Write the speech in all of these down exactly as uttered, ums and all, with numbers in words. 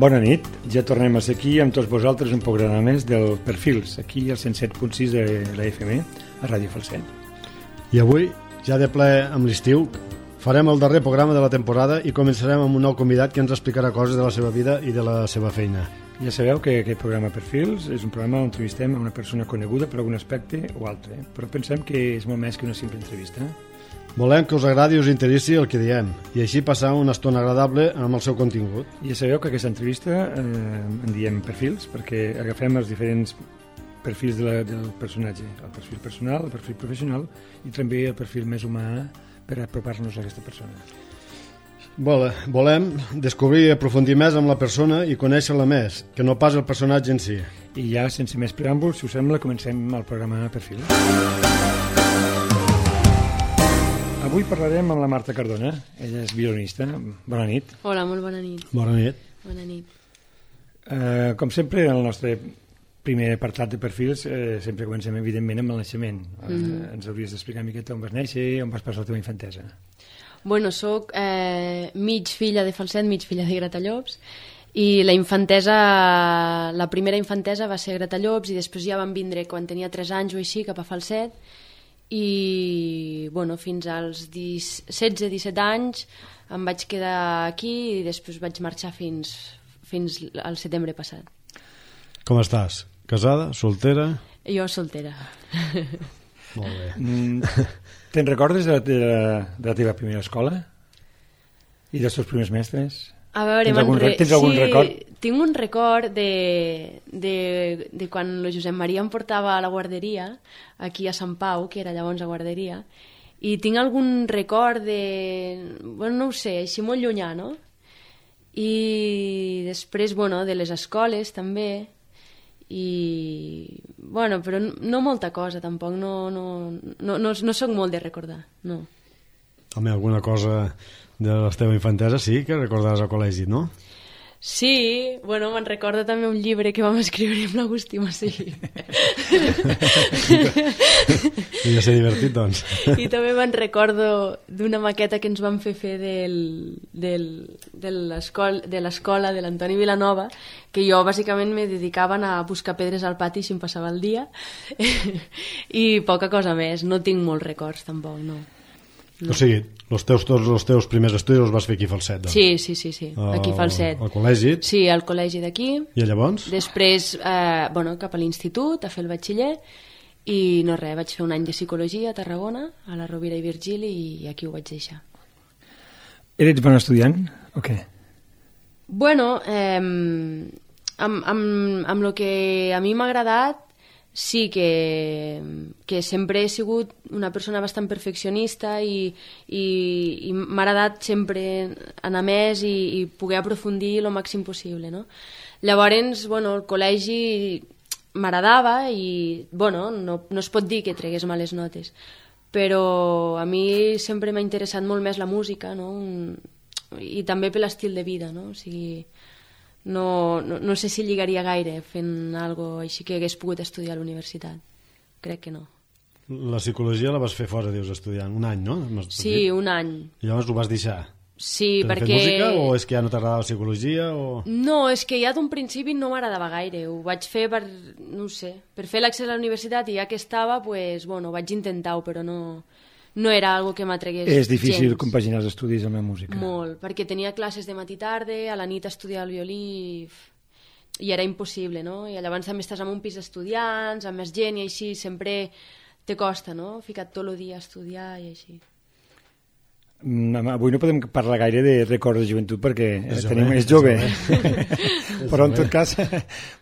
Bona nit, ja tornem a ser aquí amb tots vosaltres un programa més del Perfils, aquí al cent set punt sis de la F M, a Ràdio Falset. I avui, ja de ple amb l'estiu, farem el darrer programa de la temporada i començarem amb un nou convidat que ens explicarà coses de la seva vida i de la seva feina. Ja sabeu que aquest programa Perfils és un programa on entrevistem a una persona coneguda per algun aspecte o altre, però pensem que és molt més que una simple entrevista. Volem que us agradi i us interessi el que diem i així passar una estona agradable amb el seu contingut. Ja sabeu que aquesta entrevista eh, en diem perfils perquè agafem els diferents perfils de la, del personatge, el perfil personal, el perfil professional i també el perfil més humà per apropar-nos a aquesta persona. Vole, volem descobrir i aprofundir més amb la persona i conèixer-la més, que no pas el personatge en si. I ja, sense més preàmbuls, si us sembla, comencem el programa Perfil. Avui parlarem amb la Marta Cardona, ella és violinista. Bona nit. Hola, molt bona nit. Bona nit. Bona nit. Uh, com sempre, en el nostre primer apartat de perfils eh, sempre comencem, evidentment, amb el naixement. Uh, mm. Ens hauries d'explicar una miqueta on vas néixer i on vas passar la teva infantesa. Bueno, soc eh, mig filla de Falset, mig filla de Gratallops, i la infantesa, la primera infantesa va ser a Gratallops i després ja van vindre quan tenia tres anys o així cap a Falset, i bueno, fins als setze disset anys em vaig quedar aquí i després vaig marxar fins, fins al setembre passat. Com estàs? Casada? Soltera? Jo soltera. Molt bé. Mm, te'n recordes de la, de, la, de la teva primera escola? I dels teus primers mestres? A veure, tens algun, re... tens algun sí, record? Tinc un record de, de, de quan el Josep Maria em portava a la guarderia, aquí a Sant Pau, que era llavors a guarderia, i tinc algun record de... Bueno, no ho sé, així molt llunyà, no? I després, bueno, de les escoles també, i... Bueno, però no molta cosa, tampoc, no, no, no, no, no soc molt de recordar, no. Home, alguna cosa de la teva infantesa sí que recordaràs al col·legi, no? Sí, bueno, me'n recordo també un llibre que vam escriure amb l'Agustí Massí. Devia ser divertit, doncs. I també me'n recordo d'una maqueta que ens van fer fer del, del, de l'escola de l'Antoni Vilanova, que jo bàsicament me dedicava a buscar pedres al pati si em passava el dia, i poca cosa més. No tinc molts records, tampoc, no. No. O sigui, els teus, tots els teus primers estudis els vas fer aquí a Falset, doncs? Sí, sí, sí, sí. Aquí a Falset. Al col·legi? Sí, al col·legi d'aquí. I llavors? Després, eh, bueno, cap a l'institut, a fer el batxiller, i no res, vaig fer un any de psicologia a Tarragona, a la Rovira i Virgili, i aquí ho vaig deixar. Eres bon estudiant o què? Bueno, eh, amb, amb, amb el que a mi m'ha agradat, sí que, que sempre he sigut una persona bastant perfeccionista i, i, i m'ha agradat sempre anar més i, i poder aprofundir el màxim possible, no? Llavors, bueno, el col·legi m'agradava i, bueno, no, no es pot dir que tregués males notes, però a mi sempre m'ha interessat molt més la música, no? I també per l'estil de vida, no? O sigui... No, no, no sé si lligaria gaire fent alguna cosa així que hagués pogut estudiar a la universitat. Crec que no. La psicologia la vas fer fora, dius, estudiant. Un any, no? Sí, un any. I llavors ho vas deixar? Sí, per perquè... fer música o és que ja no t'agradava la psicologia? O... No, és que ja d'un principi no m'agradava gaire. Ho vaig fer per, no sé, per fer l'accés a la universitat i ja que estava, pues, bueno, vaig intentar-ho, però no... no era algo que m'atregués gens. És difícil compaginar els estudis amb la música. Molt, perquè tenia classes de matí i tarda, a la nit estudiar el violí i, i era impossible, no? I llavors també estàs en un pis d'estudiants, amb més gent i així, sempre te costa, no? Ficat tot el dia a estudiar i així. Avui no podem parlar gaire de records de joventut perquè és tenim, jove, és jove, és però, en tot cas,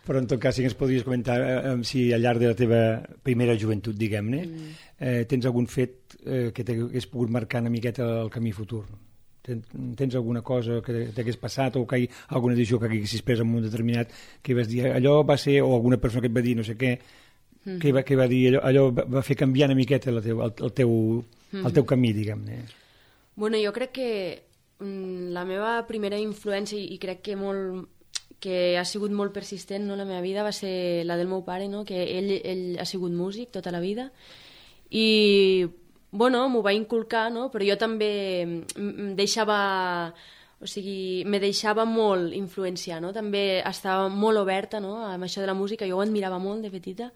però en tot cas sí que ens podries comentar eh, si al llarg de la teva primera joventut, diguem-ne, mm. eh, tens algun fet eh, que t'hagués pogut marcar una miqueta el camí futur? Tens, tens alguna cosa que t'hagués passat o que hi, alguna decisió que haguessis pres en un determinat que vas dir allò va ser, o alguna persona que et va dir no sé què, mm. que, va, que va dir allò, allò va fer canviar una miqueta la teu, el, el, teu, mm. el teu camí, diguem-ne? Bueno, jo crec que mm, la meva primera influència, i crec que molt que ha sigut molt persistent, no, la meva vida, va ser la del meu pare, no? Que ell, ell ha sigut músic tota la vida i bueno, m'ho va inculcar, no? Però jo també deixava o sigui, me deixava molt influenciar, no? També estava molt oberta, no?, amb això de la música, jo ho admirava molt de petita,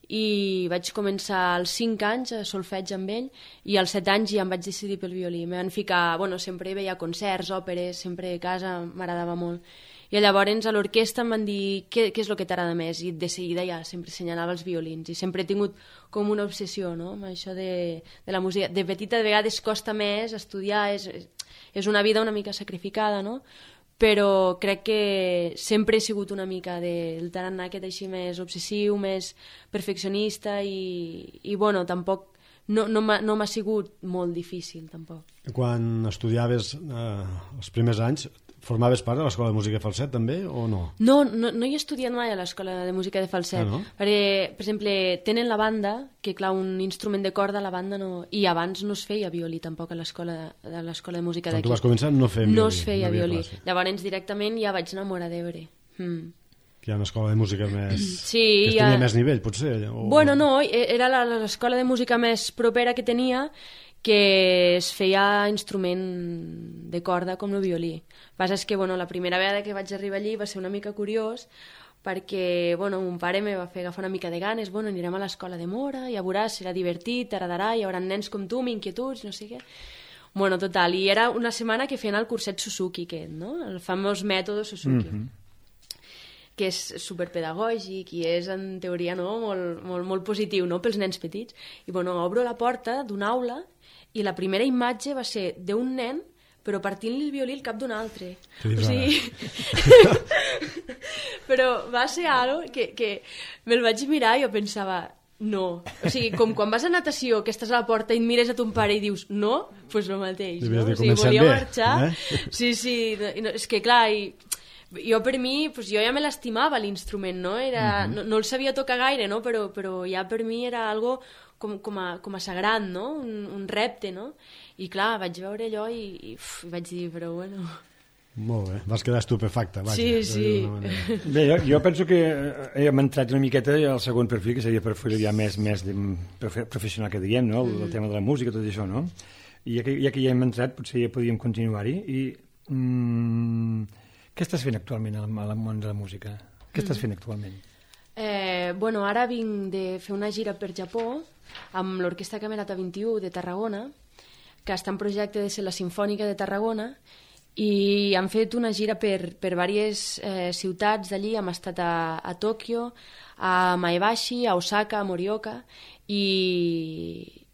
i vaig començar als cinc anys a solfeig amb ell, i als set anys ja em vaig decidir pel violí. Em van ficar, bueno, sempre veia concerts, òperes, sempre a casa, m'agradava molt. I llavors a l'orquestra em van dir què, què és el que t'agrada més, i de seguida ja sempre assenyalava els violins, i sempre he tingut com una obsessió, no?, amb això de, de la música. De petita de vegades costa més estudiar, és, és una vida una mica sacrificada, no?, però crec que sempre he sigut una mica del tarannà aquest així més obsessiu, més perfeccionista, i, i bueno, tampoc no, no m'ha no m'ha sigut molt difícil, tampoc. Quan estudiaves eh, els primers anys, formaves part de l'Escola de Música de Falset, també, o no? No, no, no he estudiat mai a l'Escola de Música de Falset. Ah, no? Perquè, per exemple, tenen la banda, que clar, un instrument de corda, la banda no... I abans no es feia violí, tampoc, a l'Escola de, l'Escola de Música d'aquí. Quan tu vas començar no feien violí. No es feia no violí. Classe. Llavors, directament, ja vaig enamorar d'Ebre. Mm. Que hi ha una escola de música més... Sí, que ja... tenia més nivell, potser? O... Bueno, no, era l'escola de música més propera que tenia, que es feia instrument de corda com el violí. El que passa és que, bueno, la primera vegada que vaig arribar allí va ser una mica curiós, perquè, bueno, mon pare me va fer agafar una mica de ganes, bueno, anirem a l'escola de Mora, ja veuràs, serà divertit, t'agradarà, hi haurà nens com tu, amb inquietuds, no sé què. Bueno, total, i era una setmana que feien el curset Suzuki, aquest, no?, el famós mètode Suzuki. Mm-hmm. Que és superpedagògic i és, en teoria, no?, molt, molt, molt positiu, no?, pels nens petits. I, bueno, obro la porta d'una aula i la primera imatge va ser d'un nen però partint-li el violí al cap d'un altre. O sigui... però va ser algo que, que me'l vaig mirar i jo pensava, no. O sigui, com quan vas a natació, que estàs a la porta i et mires a ton pare i dius, no, doncs pues el mateix. No? O sigui, volia bé, marxar. Eh? Sí, sí, no, és que clar... I... Jo per mi, pues, jo ja me l'estimava l'instrument, no? Era, uh-huh. no? No el sabia tocar gaire, no? Però, però ja per mi era algo com, com, a, com a sagrat, no? Un, un repte, no? I clar, vaig veure allò i, i uf, vaig dir, però bueno... Molt bé, vas quedar estupefacta, vaja. Sí, sí. Bé, jo, jo penso que hem entrat una miqueta al segon perfil, que seria per fer ja més, més de, professional que diem, no? El, mm. el tema de la música, tot això, no? I ja que ja, que ja hem entrat, potser ja podíem continuar-hi. I... Mm, què estàs fent actualment al, al món de la música? Què estàs fent actualment? Eh, bueno, ara vinc de fer una gira per Japó amb l'Orquestra Camerata vint-i-u de Tarragona, que està en projecte de ser la Simfònica de Tarragona, i han fet una gira per, per diverses eh, ciutats d'allí. Hem estat a, a Tòquio, a Maebashi, a Osaka, a Morioka, i...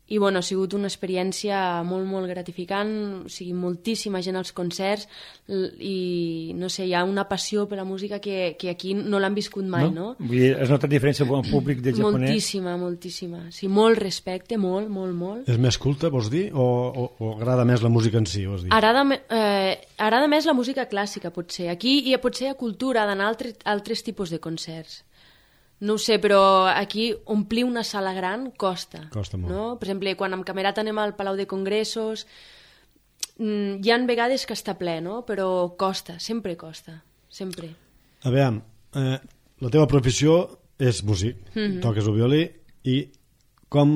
I bueno, ha sigut una experiència molt, molt gratificant, o sigui, moltíssima gent als concerts, i no sé, hi ha una passió per la música que, que aquí no l'han viscut mai, no? no? Vull dir, has notat diferència amb el públic del japonès? Moltíssima, moltíssima. Sí, molt respecte, molt, molt, molt. És més culta, vols dir, o, o, o agrada més la música en si, vols dir? Agrada, eh, agrada més la música clàssica, potser. Aquí hi ha potser hi ha cultura d'anar a altres, altres tipus de concerts. No ho sé, però aquí omplir una sala gran costa. Costa molt. No? Per exemple, quan amb Camerata anem al Palau de Congressos, hi ha vegades que està ple, no? Però costa, sempre costa, sempre. A veure, eh, la teva professió és músic, mm-hmm. toques el violí, i com,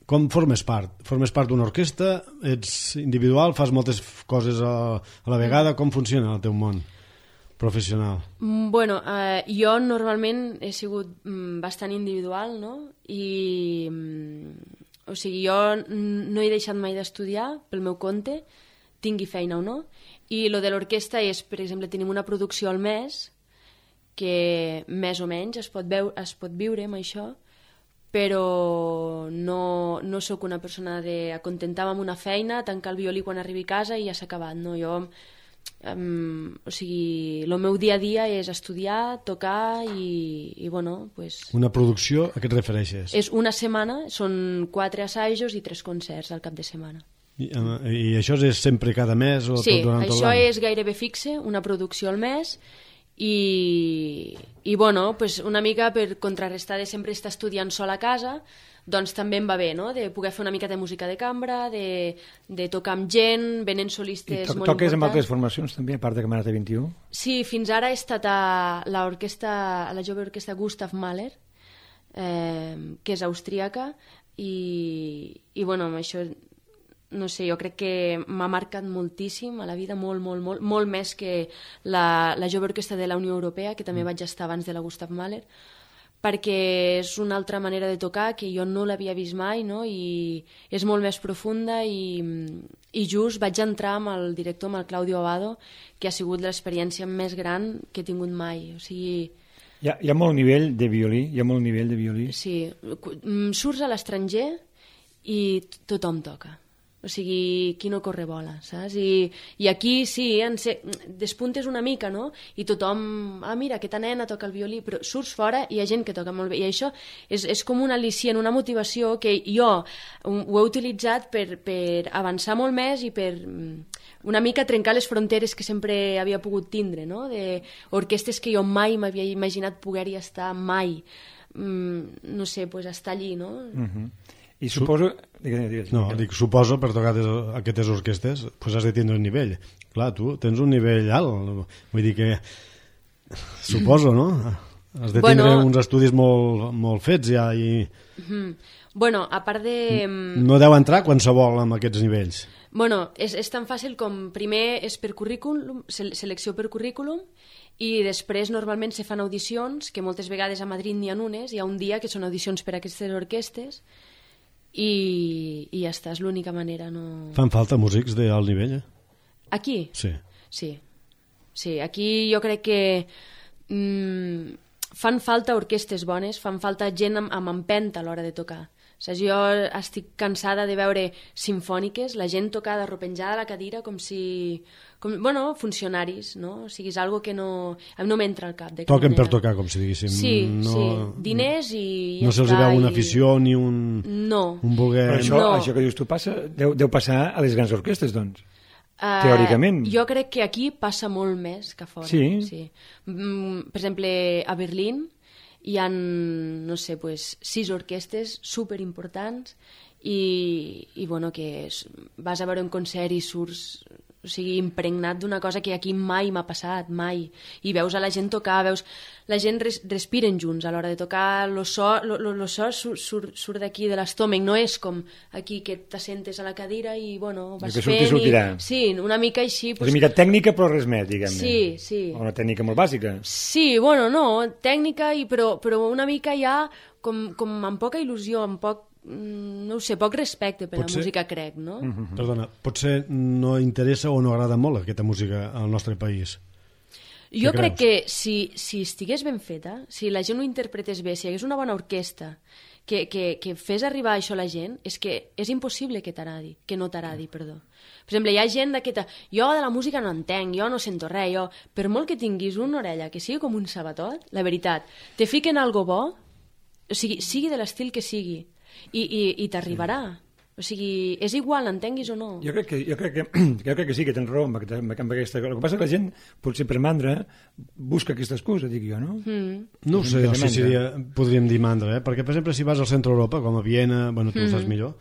com formes part? Formes part d'una orquestra? Ets individual? Fas moltes coses a, a la vegada? Com funciona el teu món professional? Bueno, eh, jo normalment he sigut mm, bastant individual, no? I, mm, o sigui, jo no he deixat mai d'estudiar pel meu compte, tingui feina o no, i lo de l'orquestra és, per exemple, tenim una producció al mes, que més o menys es pot, veu, es pot viure amb això, però no, no sóc una persona de acontentar-me amb una feina, tancar el violí quan arribi a casa i ja s'ha acabat, no? Jo... Um, o sigui, el meu dia a dia és estudiar, tocar i, i bueno, pues... Una producció, a què et refereixes? És una setmana, són quatre assajos i tres concerts al cap de setmana. I, i això és sempre cada mes? O sí, tot durant tot això l'any? És gairebé fixe, una producció al mes, i, i bueno, pues una mica per contrarrestar de sempre estar estudiant sol a casa, doncs també em va bé, no?, de poder fer una mica de música de cambra, de, de tocar amb gent, venen solistes to molt toques importants. amb altres formacions també, a part de Camerata vint-i-u? Sí, fins ara he estat a l'orquestra, a la jove orquestra Gustav Mahler, eh, que és austríaca, i, i bueno, amb això no sé, jo crec que m'ha marcat moltíssim a la vida, molt, molt, molt, molt més que la, la jove orquestra de la Unió Europea, que també vaig estar abans de la Gustav Mahler, perquè és una altra manera de tocar que jo no l'havia vist mai, no? I és molt més profunda i, i just vaig entrar amb el director, amb el Claudio Abado, que ha sigut l'experiència més gran que he tingut mai. O sigui... Hi ha, hi ha molt nivell de violí, hi ha molt nivell de violí. Sí, surts a l'estranger i tothom toca. O sigui, qui no corre vola, saps? I, i aquí sí, en se... despuntes una mica, no? I tothom, ah, mira, aquesta nena toca el violí, però surts fora i hi ha gent que toca molt bé. I això és, és com un al·licient, una motivació que jo ho he utilitzat per, per avançar molt més i per una mica trencar les fronteres que sempre havia pogut tindre, no? De orquestes que jo mai m'havia imaginat poder-hi estar, mai. Mm, no sé, pues estar allí, no? Uh-huh. I suposo... Digues, digues, no, dic, suposo, per tocar aquestes orquestes, pues has de tindre un nivell. Clar, tu tens un nivell alt. Vull dir que... Suposo, no? Has de tindre bueno, uns estudis molt, molt fets ja i... Uh-huh. Bueno, a part de... No deu entrar qualsevol amb aquests nivells. Bueno, és, és tan fàcil com primer és per currículum, selecció per currículum, i després normalment se fan audicions, que moltes vegades a Madrid n'hi ha unes, hi ha un dia que són audicions per a aquestes orquestes, i, i ja està, és l'única manera. No... Fan falta músics d'alt nivell, eh? Aquí? Sí. Sí, sí, aquí jo crec que mm, fan falta orquestes bones, fan falta gent amb, amb empenta a l'hora de tocar. O sigui, jo estic cansada de veure simfòniques, la gent tocada arropenjada a la cadira com si... Com, bueno, funcionaris, no? O sigui, és algo que no... no m'entra al cap. Toquen per tocar, com si diguéssim. Sí, no, sí. Diners i... Ja no se'ls veu una afició i... ni un... No. Un voler... Però això, no. això que dius tu passa, deu, deu passar a les grans orquestes, doncs. Uh, teòricament. Jo crec que aquí passa molt més que a fora. Sí? Sí. Mm, per exemple, a Berlín hi ha, no sé, pues, sis orquestes superimportants i, i bueno, que vas a veure un concert i surts, o sigui, impregnat d'una cosa que aquí mai m'ha passat, mai. I veus a la gent tocar, veus... La gent res, respiren junts a l'hora de tocar, el so, lo, lo, lo so surt, surt, surt d'aquí de l'estómac, no és com aquí que t'assentes a la cadira i, bueno, vas fent... fent... I... Sí, una mica així... Pues... Una mica tècnica però res més, diguem-ne. Sí, sí. O una tècnica molt bàsica. Sí, bueno, no, tècnica, i, però, però una mica ja com, com amb poca il·lusió, amb poc, no ho sé, poc respecte per potser... la música, crec, no? Uh-huh. Perdona, potser no interessa o no agrada molt aquesta música al nostre país. Jo crec que si, si estigués ben feta, si la gent ho interpretés bé, si hi hagués una bona orquestra que, que, que fes arribar això a la gent, és que és impossible que t'agradi, que no t'agradi, perdó. Per exemple, hi ha gent d'aquesta... Jo de la música no entenc, jo no sento res, jo... Per molt que tinguis una orella que sigui com un sabatot, la veritat, te fiquen algo bo, o sigui, sigui de l'estil que sigui, i, i, i t'arribarà. Sí. O sigui, és igual, entenguis o no. Jo crec que, jo crec que, jo crec que sí, que tens raó amb aquesta, amb aquesta... El que passa és que la gent, potser per mandra, busca aquesta excusa, dic jo, no? Mm. No ho sé, o sigui, seria, podríem dir mandra, eh? Perquè, per exemple, si vas al centre Europa, com a Viena, bueno, tu mm. ho saps millor,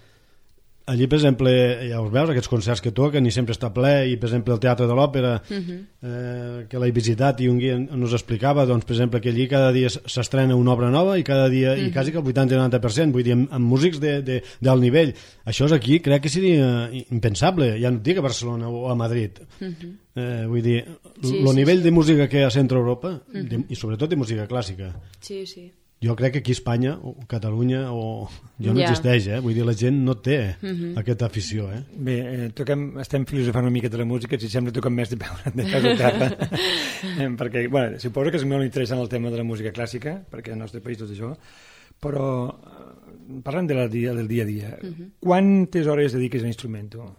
allí, per exemple, ja us veus, aquests concerts que toquen i sempre està ple, i, per exemple, el Teatre de l'Òpera, mm-hmm. eh, que l'he visitat i un guia ens explicava, doncs, per exemple, que allí cada dia s'estrena una obra nova i cada dia, mm-hmm. i quasi que el vuitanta o noranta per cent, vull dir, amb, amb músics de, de, d'alt nivell. Això és aquí, crec que seria impensable, ja no et dic a Barcelona o a Madrid. Mm-hmm. Eh, vull dir, el sí, sí, nivell sí. de música que hi ha a Centre Europa, mm-hmm. de, i sobretot de música clàssica. Sí, sí. Jo crec que aquí a Espanya, o Catalunya, o... jo no yeah. existeix, eh? Vull dir, la gent no té mm-hmm. aquesta afició, eh? Bé, eh, toquem, estem filosofant una mica de la música, si sembla toquem més de veure de casa a terra. eh, perquè, bueno, suposo que és molt interessant el tema de la música clàssica, perquè al nostre país tot això, però parlant de la dia, del dia a dia, mm-hmm. quantes hores dediques a l'instrument, tu?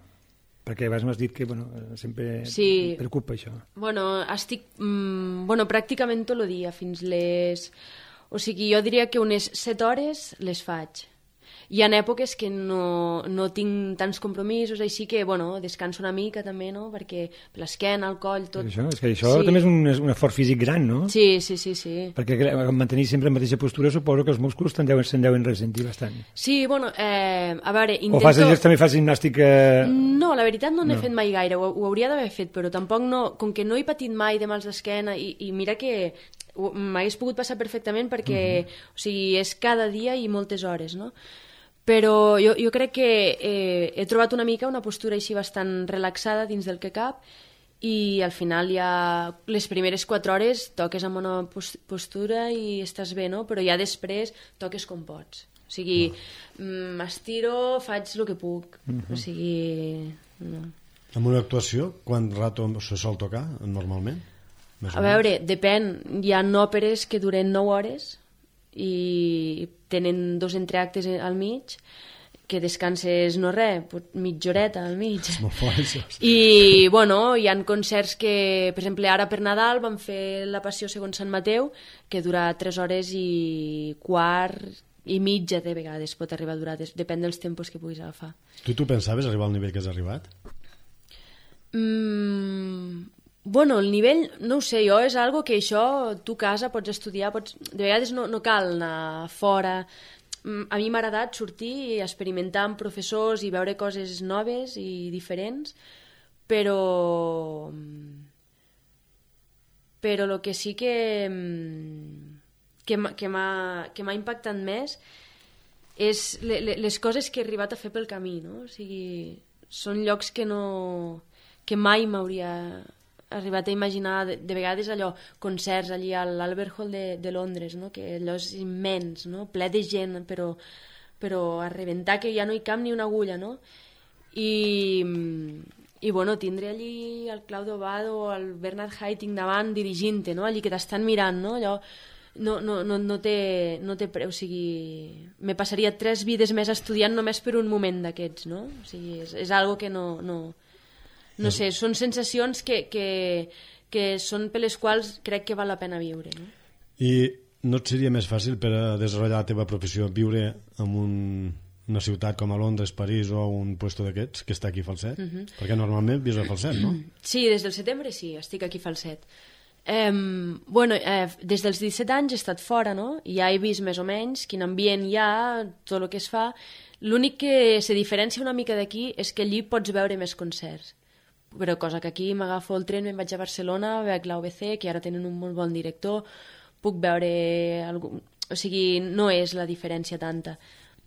Perquè abans m'has dit que bueno, sempre sí. preocupa això. Bueno, estic mm, bueno, pràcticament tot el dia, fins les... O sigui, jo diria que unes set hores les faig. Hi ha èpoques que no, no tinc tants compromisos, així que, bueno, descanso una mica també, no?, perquè l'esquena, el coll, tot... Això, és que això sí. també és un, és un esforç físic gran, no? Sí, sí, sí, sí. Perquè mantenir sempre la mateixa postura suposo que els músculs se'n deuen, se'n deuen ressentir bastant. Sí, bueno, eh, a veure, intento... O fas, també fas gimnàstica... No, la veritat no n'he no. fet mai gaire, ho, ho hauria d'haver fet, però tampoc no... Com que no he patit mai de mals d'esquena, i, i mira que m'hagués pogut passar perfectament perquè, uh-huh. o sigui, és cada dia i moltes hores, no? però jo, jo crec que eh, he trobat una mica una postura així bastant relaxada dins del que cap, i al final ja les primeres quatre hores toques amb una postura i estàs bé, no? Però ja després toques com pots. O sigui, m'estiro, faig el que puc. O sigui... No. Amb una actuació, quant rato se sol tocar, normalment? A veure, depèn. Hi ha òperes que duren nou hores i tenen dos entreactes al mig, que descanses no res, mitja horeta al mig. I, bueno, hi ha concerts que, per exemple, ara per Nadal vam fer la Passió segons Sant Mateu, que dura tres hores i quart i mitja de vegades pot arribar a durar, depèn dels tempos que puguis agafar. Tu t'ho pensaves arribar al nivell que has arribat? Mm, bueno, el nivell, no ho sé, jo és algo que això, tu a casa pots estudiar, pots, de vegades no, no cal anar fora. A mi m'ha agradat sortir i experimentar amb professors i veure coses noves i diferents, però però el que sí que que m'ha impactat més és les coses que he arribat a fer pel camí, no? O sigui, són llocs que no que mai m'hauria arribat a imaginar, de, de vegades allò, concerts allí a l'Albert Hall de, de Londres, no? Que allò és immens, no? Ple de gent, però, però a rebentar que ja no hi cap ni una agulla, no? I, i bueno, tindre allí el Claudio Bado o el Bernard Haitink davant dirigint-te, no? Allí que t'estan mirant, no? Allò no, no, no, no, té, no té preu, o sigui, me passaria tres vides més estudiant només per un moment d'aquests, no? O sigui, és, és algo que no... no No sé, són sensacions que, que, que són per les quals crec que val la pena viure. No? I no et seria més fàcil per a desenvolupar la teva professió viure en un, una ciutat com a Londres, París o un puesto d'aquests que està aquí a Falset? Uh -huh. Perquè normalment vius a Falset, no? Sí, des del setembre sí, estic aquí a Falset. Eh, bueno, eh, des dels disset anys he estat fora, no? I ja he vist més o menys quin ambient hi ha, tot el que es fa. L'únic que se diferencia una mica d'aquí és que allí pots veure més concerts. Però cosa que aquí m'agafo el tren, me'n vaig a Barcelona, veig l'A U B C, que ara tenen un molt bon director, puc veure... Algun... O sigui, no és la diferència tanta.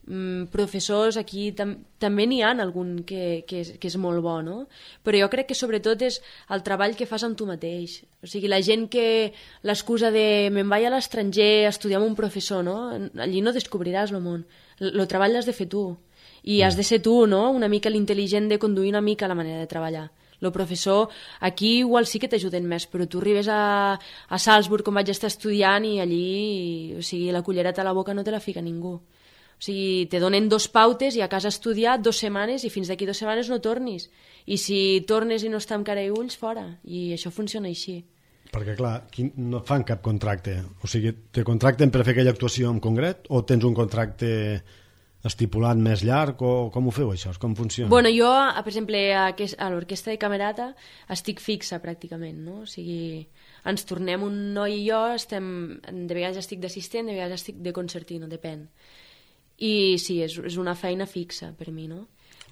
Mm, professors, aquí tam també n'hi ha algun que, que, és, que és molt bo, no? Però jo crec que sobretot és el treball que fas amb tu mateix. O sigui, la gent que l'excusa de me'n vaig a l'estranger a estudiar amb un professor, no? Allí no descobriràs el món. El treball l'has de fer tu. I has de ser tu, no? Una mica l'intel·ligent de conduir una mica la manera de treballar. El professor, aquí igual sí que t'ajuden més, però tu arribes a, a Salzburg, com vaig estar estudiant, i allí, o sigui, la cullereta a la boca no te la fica ningú. O sigui, te donen dos pautes i a casa estudiar dos setmanes i fins d'aquí dues setmanes no tornis. I si tornes i no està amb cara i ulls, fora. I això funciona així. Perquè, clar, no fan cap contracte. O sigui, te contracten per fer aquella actuació en concret o tens un contracte estipulat més llarg, o com ho feu això? Com funciona? Bueno, jo, per exemple, a l'Orquestra de Camerata estic fixa pràcticament, no? O sigui, ens tornem un noi i jo, estem, de vegades estic d'assistent, de vegades estic de concertino, depèn. I sí, és, és una feina fixa per mi, no?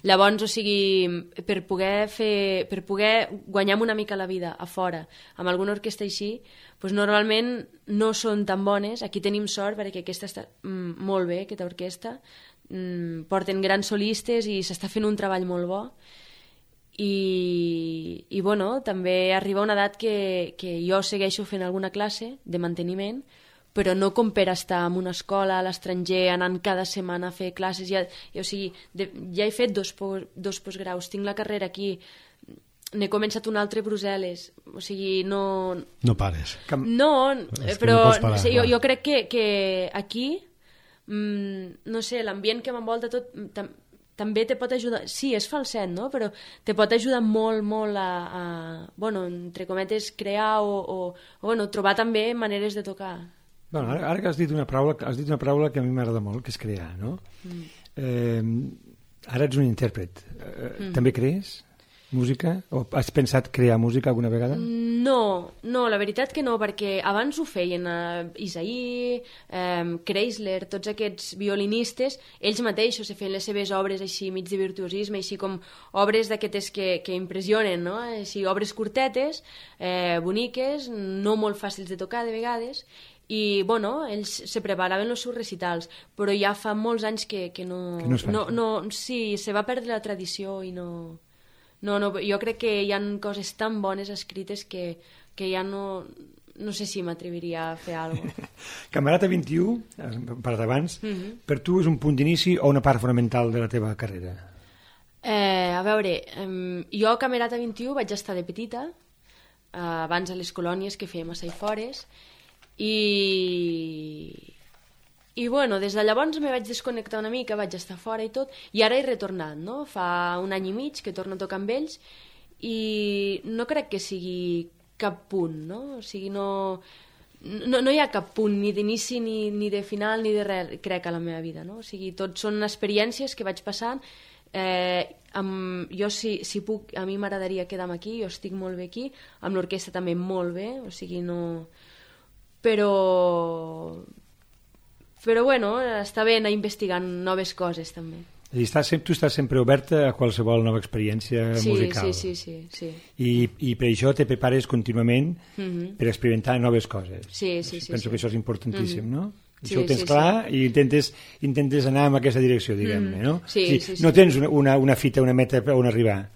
Llavors, o sigui, per poder fer, per poder guanyar una mica la vida a fora amb alguna orquestra així, doncs normalment no són tan bones. Aquí tenim sort perquè aquesta està mm, molt bé, aquesta orquestra, mm, porten grans solistes i s'està fent un treball molt bo. I, i bueno, també arriba una edat que, que jo segueixo fent alguna classe de manteniment, però no com per estar en una escola a l'estranger, anant cada setmana a fer classes. Ja, ja, o sigui, de, ja he fet dos, dos postgraus, tinc la carrera aquí, n'he començat un altre a Brussel·les, o sigui, no... No pares. No, però no parar, sí, jo, jo crec que, que aquí, mmm, no sé, l'ambient que m'envolta tot... Tam, també te pot ajudar, sí, és falset, no? Però te pot ajudar molt, molt a, a bueno, entre cometes, crear o, o, o bueno, trobar també maneres de tocar. Bueno, ara, ara que has dit una paraula, has dit una paraula que a mi m'agrada molt, que és crear, no? Mm. Eh, ara ets un intèrpret. Eh, mm. També crees música? O has pensat crear música alguna vegada? No, no, la veritat que no, perquè abans ho feien uh, Isaí, um, Kreisler, tots aquests violinistes, ells mateixos se feien les seves obres així mig de virtuosisme, així com obres d'aquestes que, que impressionen, no? Així, obres curtetes, eh, boniques, no molt fàcils de tocar de vegades, i, bueno, ells se preparaven els seus recitals, però ja fa molts anys que, que no... Que no es fa. no, no, sí, se va perdre la tradició i no... No, no, jo crec que hi ha coses tan bones escrites que, que ja no... No sé si m'atreviria a fer alguna cosa. Camerata vint-i-u, per d'abans, Mhm. per tu és un punt d'inici o una part fonamental de la teva carrera? Eh, a veure, eh, jo a Camerata vint-i-u vaig estar de petita, eh, abans a les colònies que fèiem a Saifores, i... I bueno, des de llavors me vaig desconnectar una mica, vaig estar fora i tot, i ara he retornat, no? Fa un any i mig que torno a tocar amb ells, i no crec que sigui cap punt, no? O sigui, no... No, no hi ha cap punt ni d'inici, ni, ni de final, ni de res, crec, a la meva vida, no? O sigui, tot són experiències que vaig passant. Eh, amb, jo, si, si puc, a mi m'agradaria quedar-me aquí, jo estic molt bé aquí, amb l'orquestra també molt bé, o sigui, no... Però... Però, bueno, està bé anar investigant noves coses, també. És a dir, estàs, tu estàs sempre oberta a qualsevol nova experiència Sí, musical. sí, sí, sí, sí. I, I per això te prepares contínuament Mhm. per experimentar noves coses. Sí, sí, sí, Penso sí. que això és importantíssim, Mhm. no? Sí, Això ho tens sí, clar i intentes, intentes anar en aquesta direcció, diguem-ne, Mhm. no? Sí, O sigui, sí, sí. No tens una, una, una fita, una meta on arribar,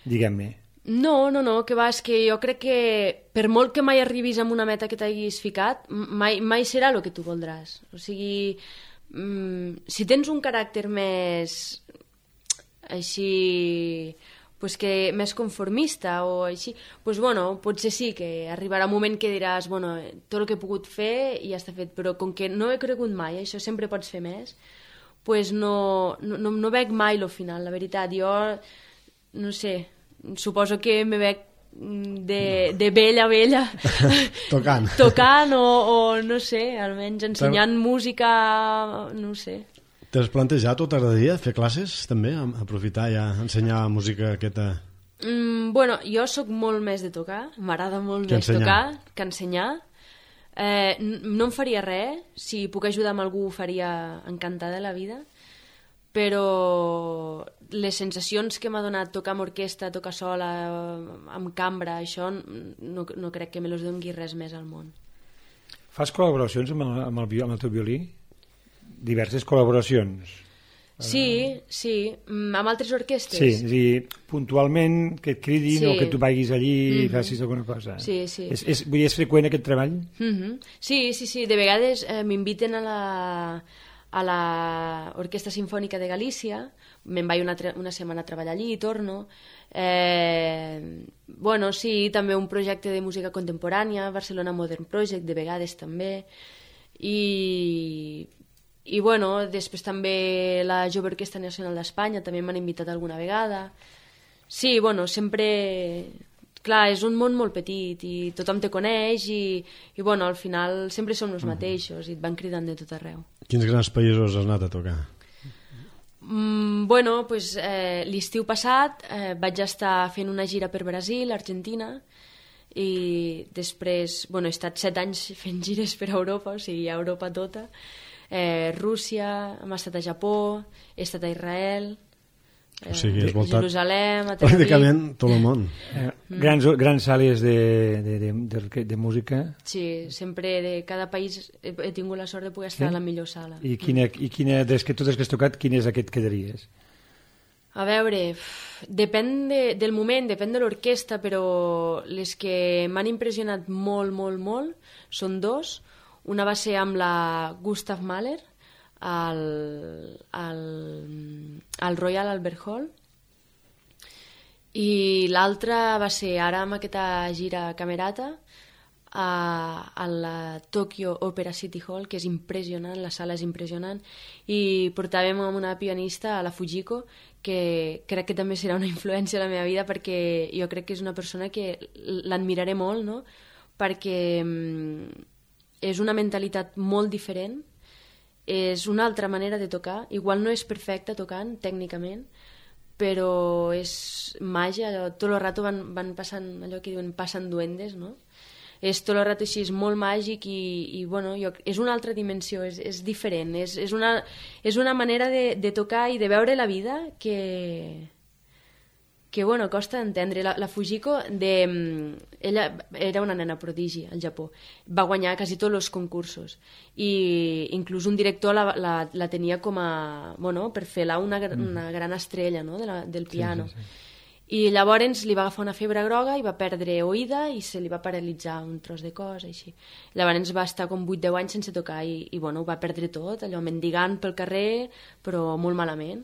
diguem-ne. No, no, no, que va, és que jo crec que per molt que mai arribis amb una meta que t'haguis ficat, mai, mai serà el que tu voldràs. O sigui, mm, si tens un caràcter més així, pues que més conformista o així, pues bueno, potser sí que arribarà un moment que diràs, bueno, tot el que he pogut fer ja està fet, però com que no he cregut mai, això sempre pots fer més, pues no, no, no, no veig mai lo final, la veritat. Jo, no sé, suposo que me veig de, de vella a vella Tocant. tocant o, o no sé, almenys ensenyant música, no sé. T'has plantejat o t'agradaria fer classes també? Aprofitar i ensenyar música aquesta... Mm, bueno, jo sóc molt més de tocar, m'agrada molt Que més ensenyar. tocar que ensenyar. Eh, n- no em faria res, si puc ajudar amb algú ho faria encantada de la vida, però les sensacions que m'ha donat tocar amb orquestra, tocar sola, amb cambra, això no, no crec que me los doni res més al món. Fas col·laboracions amb el, amb el, vi- amb el teu violí? Diverses col·laboracions? Sí, sí, mm, amb altres orquestres. Sí, és a dir, puntualment que et cridin Sí. o que tu vagis allí i Mhm. facis alguna cosa. Sí, sí. És, és, vull dir, és freqüent aquest treball? Mhm. Sí, sí, sí, de vegades eh, m'inviten a la a la Orquestra Sinfònica de Galícia, me'n vaig una, una setmana a treballar allí i torno. Eh, bueno, sí, també un projecte de música contemporània, Barcelona Modern Project, de vegades també, i, i bueno, després també la Jove Orquestra Nacional d'Espanya també m'han invitat alguna vegada. Sí, bueno, sempre... Clar, és un món molt petit i tothom te coneix i, i bueno, al final sempre som els mateixos i et van cridant de tot arreu. Quins grans països has anat a tocar? Mm, bueno, pues, eh, l'estiu passat eh, vaig estar fent una gira per Brasil, Argentina, i després, bueno, he estat set anys fent gires per Europa, o sigui, a Europa tota, eh, Rússia, hem estat a Japó, he estat a Israel, O sigui, has a voltat Jerusalem, a Tel Aviv. pràcticament tot el món. Eh, grans, grans sales de, de, de, de, de música. Sí, sempre de cada país he, he tingut la sort de poder estar Sí? a la millor sala. I quina, i quina des que totes que has tocat, quin és aquest que quedaries? A veure, uf, depèn de, del moment, depèn de l'orquestra, però les que m'han impressionat molt, molt, molt són dos. Una va ser amb la Gustav Mahler al, al, al Royal Albert Hall i l'altra va ser ara amb aquesta gira Camerata a, a la Tokyo Opera City Hall, que és impressionant, la sala és impressionant, i portàvem amb una pianista, a la Fujiko, que crec que també serà una influència a la meva vida perquè jo crec que és una persona que l'admiraré molt, no? Perquè mm, és una mentalitat molt diferent, és una altra manera de tocar, igual no és perfecta tocant tècnicament, però és màgia, allò, tot el rato van, van passant allò que diuen passen duendes, no? És tot el rato així, és molt màgic i, i bueno, jo, és una altra dimensió, és, és diferent, és, és, una, és una manera de, de tocar i de veure la vida que, que bueno, costa d'entendre. La, la Fujiko, de, ella era una nena prodigi al Japó, va guanyar quasi tots els concursos i inclús un director la, la, la tenia com a, bueno, per fer-la una, una gran estrella, no?, de la, del piano. Sí, sí, sí. I llavors li va agafar una febre groga i va perdre oïda i se li va paralitzar un tros de cos, així. Llavors va estar com vuit deu anys sense tocar i, i bueno, ho va perdre tot, allò mendigant pel carrer, però molt malament.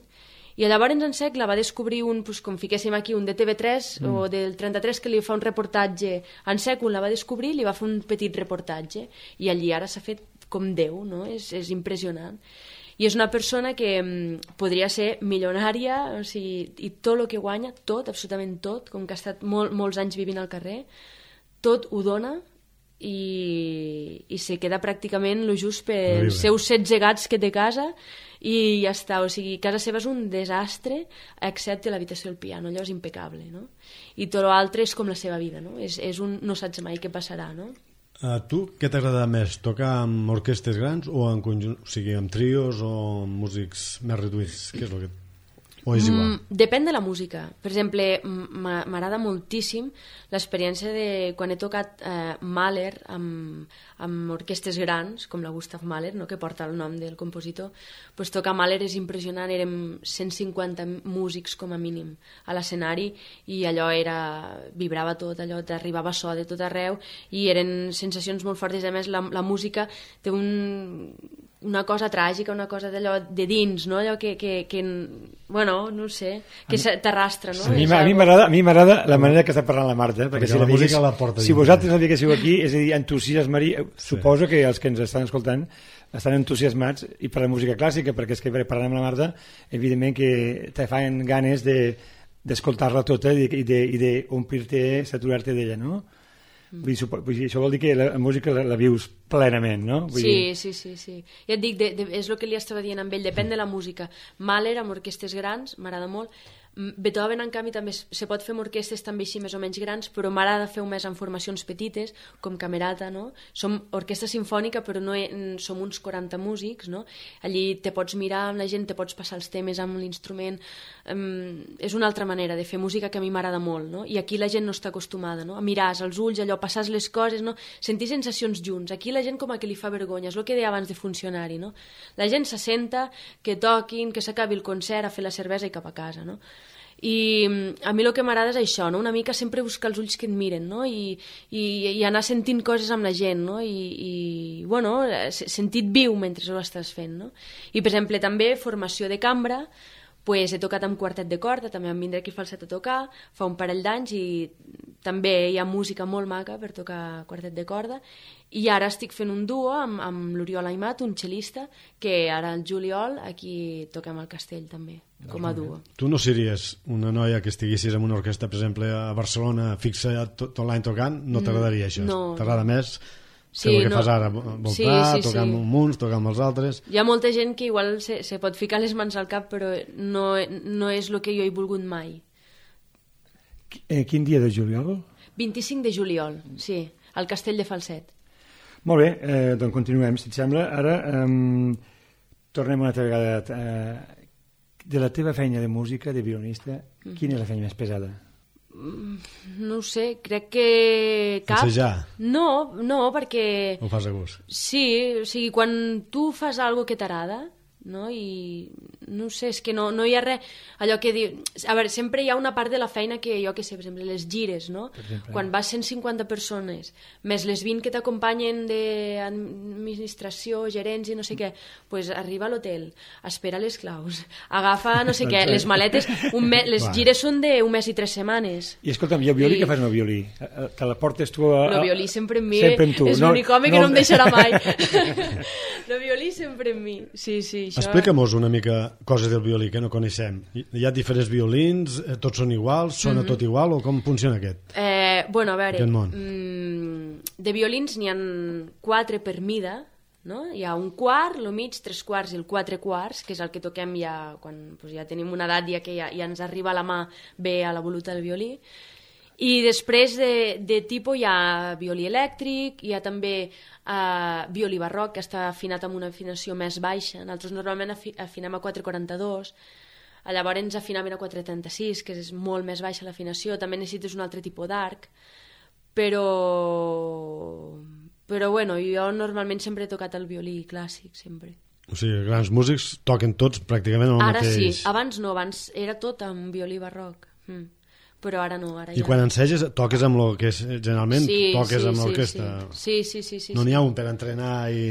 I llavors en sec la va descobrir un, pues, com fiquéssim aquí, un de T V tres mm. o del trenta-tres que li fa un reportatge. En sec un la va descobrir, li va fer un petit reportatge i allí ara s'ha fet com Déu, no? És, és impressionant. I és una persona que mm, podria ser milionària, o sigui, i tot el que guanya, tot, absolutament tot, com que ha estat molt, molts anys vivint al carrer, tot ho dona i, i se queda pràcticament lo just pels seus setze gats que té a casa i ja està, o sigui, casa seva és un desastre excepte l'habitació del piano, allò és impecable, no? I tot l'altre és com la seva vida, no? És, és un no saps mai què passarà, no? A tu què t'agrada més, tocar amb orquestres grans o en conjunt, o sigui, amb trios o amb músics més reduïts? Què és el que... O és igual? Mm, depèn de la música. Per exemple, m'agrada moltíssim l'experiència de quan he tocat eh, Mahler amb, amb orquestres grans, com la Gustav Mahler, no?, que porta el nom del compositor. Pues tocar Mahler és impressionant, érem cent cinquanta músics com a mínim a l'escenari i allò era... vibrava tot, allò t'arribava so de tot arreu i eren sensacions molt fortes. A més, la, la música té un... una cosa tràgica, una cosa d'allò de dins, no? Allò que, que, que bueno, no sé, que t'arrastra, no? Sí, a mi m'agrada a mi m'agrada la manera que està parlant la Marta, perquè, perquè si la, la música digués, la porta si vosaltres no diguéssiu aquí, és a dir, entusiasmaria, sí. Suposo que els que ens estan escoltant estan entusiasmats i per la música clàssica, perquè és que parlant amb la Marta, evidentment que te fan ganes de d'escoltar-la tota i d'omplir-te, saturar-te d'ella, no? Vull dir, vull dir, això vol dir que la, la música la, la vius plenament, no? Vull sí, dir... sí, sí, sí. Ja et dic, de, de, és el que li estava dient amb ell, depèn de la música. Mahler amb orquestes grans, m'agrada molt. Beethoven, en canvi, també se pot fer amb orquestes també així més o menys grans, però m'agrada fer-ho més en formacions petites, com Camerata, no? Som orquestra sinfònica, però no he, som uns quaranta músics, no? Allí te pots mirar amb la gent, te pots passar els temes amb l'instrument. Um, és una altra manera de fer música que a mi m'agrada molt, no? I aquí la gent no està acostumada, no? A mirar els ulls, allò, passar les coses, no? Sentir sensacions junts. Aquí la gent com a que li fa vergonya, és el que deia abans de funcionari, no? La gent s'assenta, que toquin, que s'acabi el concert, a fer la cervesa i cap a casa, no? I a mi el que m'agrada és això, no? Una mica sempre buscar els ulls que et miren, no? I, i, i anar sentint coses amb la gent, no? I, i bueno, sentit viu mentre ho estàs fent, no? I per exemple també formació de cambra, pues, he tocat amb quartet de corda, també em vindré aquí falset a tocar fa un parell d'anys i també hi ha música molt maca per tocar quartet de corda i ara estic fent un duo amb, amb l'Oriol Aimat, un xelista, que ara al juliol aquí toquem al Castell també, com a duo. Tu no series una noia que estiguessis en una orquestra, per exemple, a Barcelona, fixa tot, tot l'any tocant? No t'agradaria això? No. T'agrada més sí, el que no. fas ara? Voltar, sí, sí, tocar sí. amb uns, tocar amb els altres? Hi ha molta gent que igual se, se pot ficar les mans al cap, però no, no és el que jo he volgut mai. Eh, quin dia de juliol? vint-i-cinc de juliol, sí, al Castell de Falset. Molt bé, eh, doncs continuem, si et sembla. Ara eh, tornem una altra vegada. Eh, de la teva feina de música, de violinista, mm. quina és la feina més pesada? No ho sé, crec que cap. Ensejar? No, no, perquè... Ho fas a gust? Sí, o sigui, quan tu fas alguna que t'agrada, no? I no sé, és que no, no hi ha res allò que diu, a veure, sempre hi ha una part de la feina que jo que sé, per exemple, les gires, no? Quan vas cent cinquanta persones més les vint que t'acompanyen d'administració, gerents i no sé què, pues arriba a l'hotel, espera les claus, agafa no sé què, les maletes, un me les Va. gires són d'un mes i tres setmanes. I escolta'm, i el violí, I... què fas amb el violí? Te la portes tu a... El violí sempre en mi, sempre en tu. És no, l'únic home no... que no em deixarà mai. El violí sempre en mi, sí, sí. Això... Explica'm-nos una mica coses del violí que no coneixem. Hi ha diferents violins, tots són iguals, sona mm-hmm. tot igual, o com funciona aquest? Eh, bueno, a veure, mm, de violins n'hi ha quatre per mida, no? Hi ha un quart, el mig, tres quarts i el quatre quarts, que és el que toquem ja quan pues, ja tenim una edat ja que ja, ja ens arriba a la mà bé a la voluta del violí. I després de, de tipus hi ha violí elèctric, hi ha també uh, violí barroc, que està afinat amb una afinació més baixa. Nosaltres normalment afi, afinem a quatre quaranta-dos. llavors ens afinaven a quatre trenta-sis, que és molt més baixa l'afinació, també necessites un altre tipus d'arc, però... però bueno, jo normalment sempre he tocat el violí clàssic, sempre. O sigui, grans músics toquen tots pràcticament el Ara mateix. sí, abans no, abans era tot amb violí barroc, mm. però ara no, ara I ja... quan enseges, toques amb el que és, generalment, sí, toques sí, amb sí, l'orquestra. Sí, sí, sí, sí. No sí. n'hi ha un per entrenar i...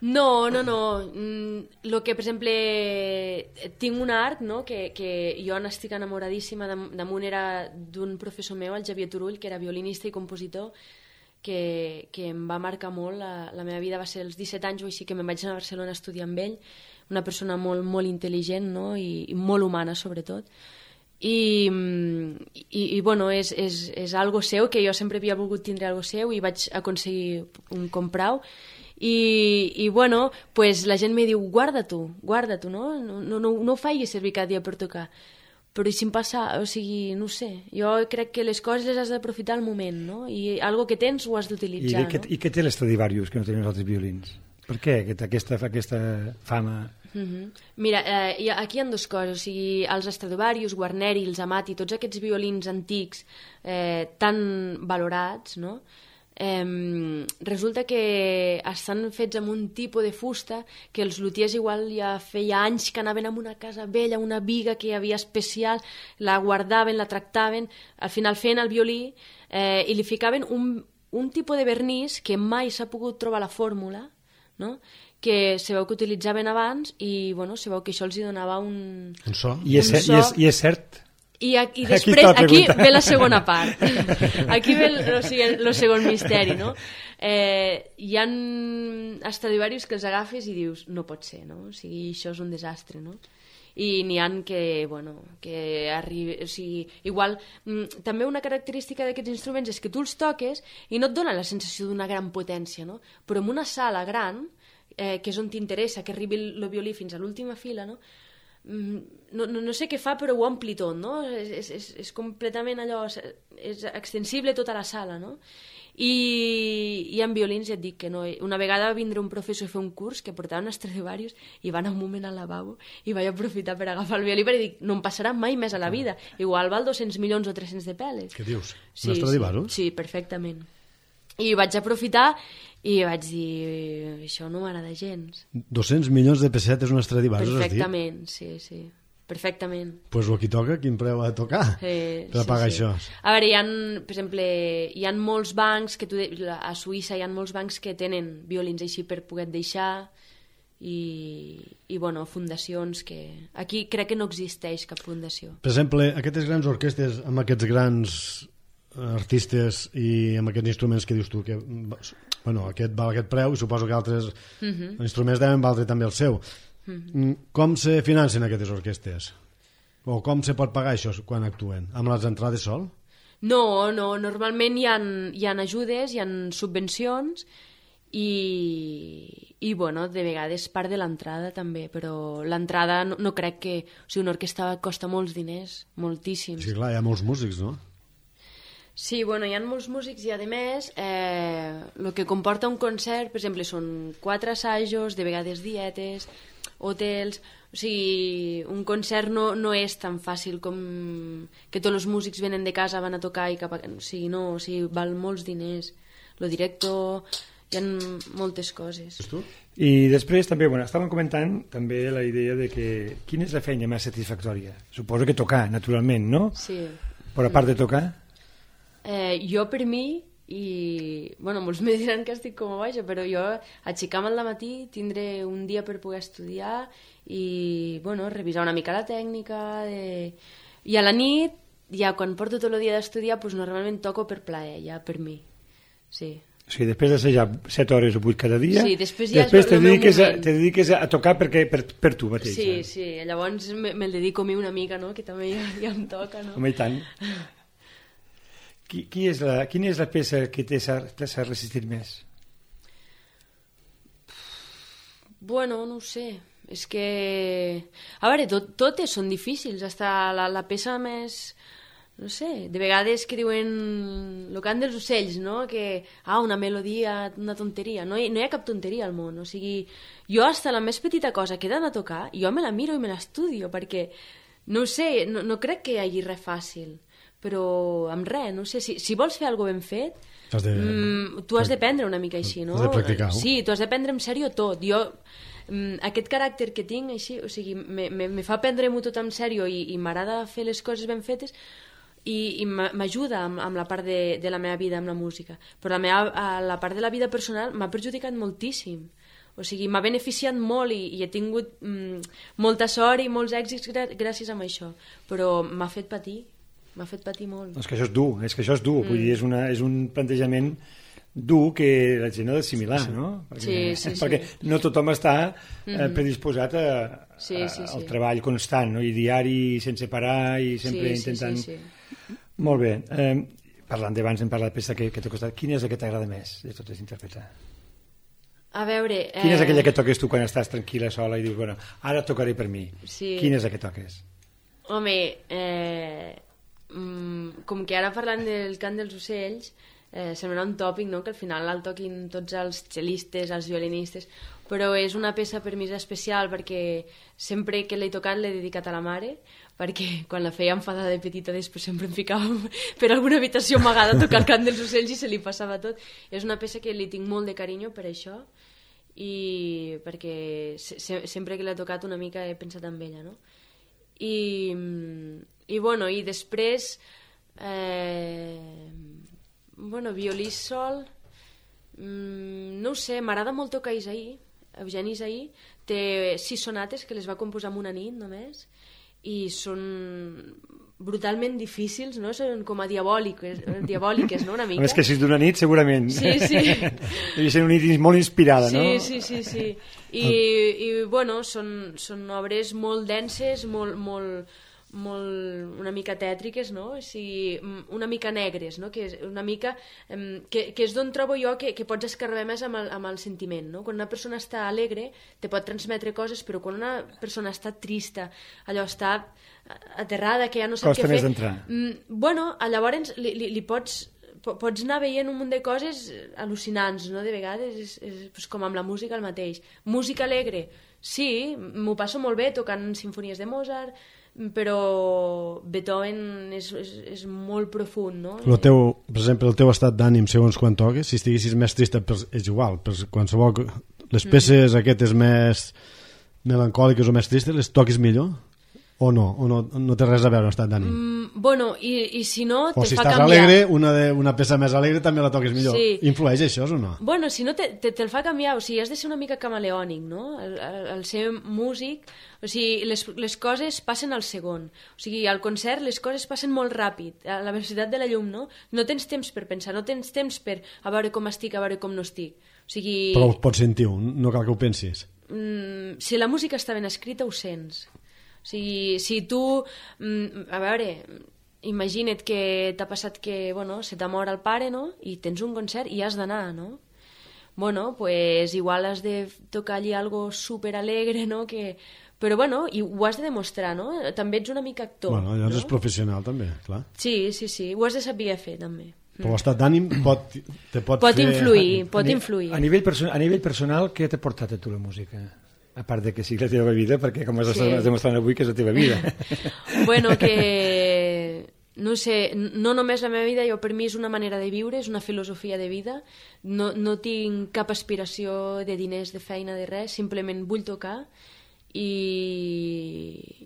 No, no, no. Mm, lo que, per exemple, tinc un art, no?, que, que jo n'estic enamoradíssima. Dam damunt era d'un professor meu, el Xavier Turull, que era violinista i compositor, que, que em va marcar molt. La, la meva vida va ser als disset anys o així que me'n vaig anar a Barcelona a estudiar amb ell. Una persona molt, molt intel·ligent, no?, i, i molt humana, sobretot. I, i, i bueno, és, és, és algo seu, que jo sempre havia volgut tindre algo seu i vaig aconseguir un comprar-ho. I, i bueno, pues la gent me diu, guarda-t'ho, guarda-t'ho, no? No, no, no, no ho facis servir cada dia per tocar. Però i si em passa, o sigui, no ho sé, jo crec que les coses les has d'aprofitar al moment, no? I algo que tens ho has d'utilitzar, I, no? I què té l'Stradivarius que no tenen els altres violins? Per què aquesta, aquesta, aquesta fama? Uh-huh. Mira, eh, hi ha, aquí hi ha dues coses, o sigui, els Stradivarius, Guarneri, els Amati, tots aquests violins antics eh, tan valorats, no?, Eh, resulta que estan fets amb un tipus de fusta que els lutiers igual ja feia anys que anaven a una casa vella, una viga que hi havia especial, la guardaven, la tractaven, al final feien el violí eh, i li ficaven un, un tipus de vernís que mai s'ha pogut trobar la fórmula, no?, que se veu que utilitzaven abans i bueno, se veu que això els hi donava un... Un so. I és, un so... so... I és, i és cert? I, i després, aquí, aquí ve la segona part. Aquí ve el, o sigui, el segon misteri, no? Eh, hi ha Stradivarius que els agafes i dius, no pot ser, no? O sigui, això és un desastre, no? I n'hi ha que, bueno, que arribi... O sigui, igual, mm, també una característica d'aquests instruments és que tu els toques i no et dona la sensació d'una gran potència, no? Però en una sala gran, eh, que és on t'interessa que arribi el, el violí fins a l'última fila, no? No, no, no sé què fa, però ho ompli tot, no? És, és, és completament allò, és extensible tota la sala, no? I, i en violins ja et dic que no. Una vegada va vindre un professor a fer un curs que portava un Stradivarius i va anar un moment al lavabo i vaig aprofitar per agafar el violí perquè dic, no em passarà mai més a la vida. Igual val dos-cents milions o tres-cents de peles. Què dius? Sí, un Stradivarius? Sí, sí, perfectament. I vaig aprofitar i vaig dir, això no m'agrada gens. dos-cents milions de pessetes un Stradivarius, has dit? Perfectament, sí, sí. Perfectament. Doncs pues el que toca, quin preu ha de tocar eh, per sí, pagar sí. això? A veure, hi ha, per exemple, hi ha molts bancs, que tu, a Suïssa hi ha molts bancs que tenen violins així per poder deixar i, i bueno, fundacions que... Aquí crec que no existeix cap fundació. Per exemple, aquestes grans orquestes amb aquests grans artistes i amb aquests instruments que dius tu que, bueno, aquest val aquest preu i suposo que altres uh -huh. instruments deuen valdre també el seu. Uh -huh. Com se financen aquestes orquestes? O com se pot pagar això quan actuen? Amb les entrades sol? No, no, normalment hi ha, hi ha ajudes, hi ha subvencions i, i bueno, de vegades part de l'entrada també, però l'entrada no, no crec que... O sigui, una orquestra costa molts diners, moltíssims. Sí, clar, hi ha molts músics, no? Sí, bueno, hi ha molts músics i, a més, eh, el que comporta un concert, per exemple, són quatre assajos, de vegades dietes, hotels... O sigui, un concert no, no és tan fàcil com que tots els músics venen de casa, van a tocar i cap a... O sigui, no, o sigui, val molts diners. Lo directo, hi ha moltes coses. I després també, bueno, estàvem comentant també la idea de que quina és la feina més satisfactòria? Suposo que tocar, naturalment, no? Sí. Però a part de tocar? Eh, jo per mi, i bueno, molts me diran que estic com a baixa, però jo aixecar-me al matí, tindré un dia per poder estudiar i bueno, revisar una mica la tècnica de... i a la nit, ja quan porto tot el dia d'estudiar, doncs normalment toco per plaer, ja per mi, sí. O sigui, després d'assajar set hores o vuit cada dia, sí, després, ja després és te el meu dediques, a, moment. te dediques a tocar perquè, per, per tu mateix. Sí, eh? sí, llavors me'l me dedico a mi una mica, no? Que també ja, ja em toca, no? Home, i tant. Qui, qui és la, quina és la peça que t'ha resistit més? Bueno, no ho sé. És que... A veure, tot, totes són difícils. Hasta la, la peça més... No sé, de vegades que diuen el cant dels ocells, no? Que, ah, una melodia, una tonteria. No hi, no hi ha cap tonteria al món. O sigui, jo hasta la més petita cosa que he d'anar a tocar, jo me la miro i me l'estudio, perquè no ho sé, no, no crec que hi hagi res fàcil, però amb res, no sé, si, si vols fer alguna ben fet, has de... mm, tu has de prendre una mica així, no? Has de practicar. Sí, tu has de prendre en sèrio tot. Jo, mm, aquest caràcter que tinc, així, o sigui, me, me, me fa prendre-m'ho tot en sèrio i, i m'agrada fer les coses ben fetes i, i m'ajuda amb, amb la part de, de la meva vida, amb la música. Però la, meva, la part de la vida personal m'ha perjudicat moltíssim. O sigui, m'ha beneficiat molt i, i he tingut mm, molta sort i molts èxits gràcies a això. Però m'ha fet patir. M'ha fet patir molt. És que això és dur, és que això és dur. Mm. Vull dir, és, una, és un plantejament dur que la gent ha d'assimilar, sí, sí. no? Perquè, sí, sí, perquè sí. no tothom està eh, predisposat a, sí, sí, sí. al treball constant, no? I diari, sense parar, i sempre sí, intentant... Sí, sí, sí. Molt bé. Eh, parlant d'abans, hem parlat de peça que, que t'ha costat. Quina és la que t'agrada més de totes interpretar? A veure... Eh... Quina és aquella que toques tu quan estàs tranquil·la, sola, i dius, bueno, ara tocaré per mi? Sí. Quina és la que toques? Home, eh... Mm, com que ara parlant del cant dels ocells eh, sembla un tòpic, no? Que al final el toquin tots els cellistes, els violinistes, però és una peça per mi especial perquè sempre que l'he tocat l'he dedicat a la mare, perquè quan la feia enfadada de petita després sempre em ficava per alguna habitació amagada a tocar el cant dels ocells i se li passava tot. És una peça que li tinc molt de carinyo per això i perquè se sempre que l'he tocat una mica he pensat en ella, no? I, i bueno, i després eh, bueno, violí sol mm, no ho sé, m'agrada molt tocar Isaí, Eugeni Isaí té sis sonates que les va composar en una nit només i són brutalment difícils, no? Són com a diabòliques, diabòliques, no? Una mica. A més que si és d'una nit, segurament. Sí, sí. Devia ser una nit molt inspirada, sí, no? Sí, sí, sí. I, i bueno, són, són obres molt denses, molt, molt, molt, una mica tètriques, no? O sigui, una mica negres, no? Que és una mica... Que, que és d'on trobo jo que, que pots escarbar més amb el, amb el sentiment, no? Quan una persona està alegre te pot transmetre coses, però quan una persona està trista, allò està aterrada, que ja no sap Costa què fer... més d'entrar. Bueno, llavors li, li, li pots... pots anar veient un munt de coses al·lucinants, no? De vegades és, és, és com amb la música el mateix. Música alegre, sí, m'ho passo molt bé tocant sinfonies de Mozart, però Beethoven és, és, és molt profund, no? El teu, per exemple, el teu estat d'ànim segons quan toques, si estiguessis més trista és igual, per qualsevol... les peces mm. aquestes més melancòliques o més tristes les toquis millor? O no? O no, no té res a veure amb l'estat d'ànim? Mm, bueno, i, i si no, o te si fa estàs canviar. alegre, una, de, una peça més alegre també la toquis millor. Sí. Influeix això o no? Bueno, si no, te, te, te el fa canviar. O sigui, has de ser una mica camaleònic, no? El, el, el ser músic... O sigui, les, les coses passen al segon. O sigui, al concert les coses passen molt ràpid, a la velocitat de la llum, no? No tens temps per pensar, no tens temps per a veure com estic, a veure com no estic. O sigui... Però ho pots sentir, no cal que ho pensis. Mm, si la música està ben escrita, ho sents. O sigui, si tu, a veure, imagina't que t'ha passat que, bueno, se t'ha mort el pare, no? I tens un concert i has d'anar, no? Bueno, pues igual has de tocar allí algo super alegre, no? Que... Però bueno, i ho has de demostrar, no? També ets una mica actor. Bueno, llavors no? és professional també, clar. Sí, sí, sí, ho has de saber fer també. Però l'estat d'ànim pot, te pot, pot fer... influir, pot a, influir. A nivell, perso a nivell personal, què t'ha portat a tu la música? A part de que sigui la teva vida, perquè com has sí. estat demostrant avui que és la teva vida. Bueno, que... No sé, no només la meva vida, jo per mi és una manera de viure, és una filosofia de vida, no, no tinc cap aspiració de diners, de feina, de res, simplement vull tocar i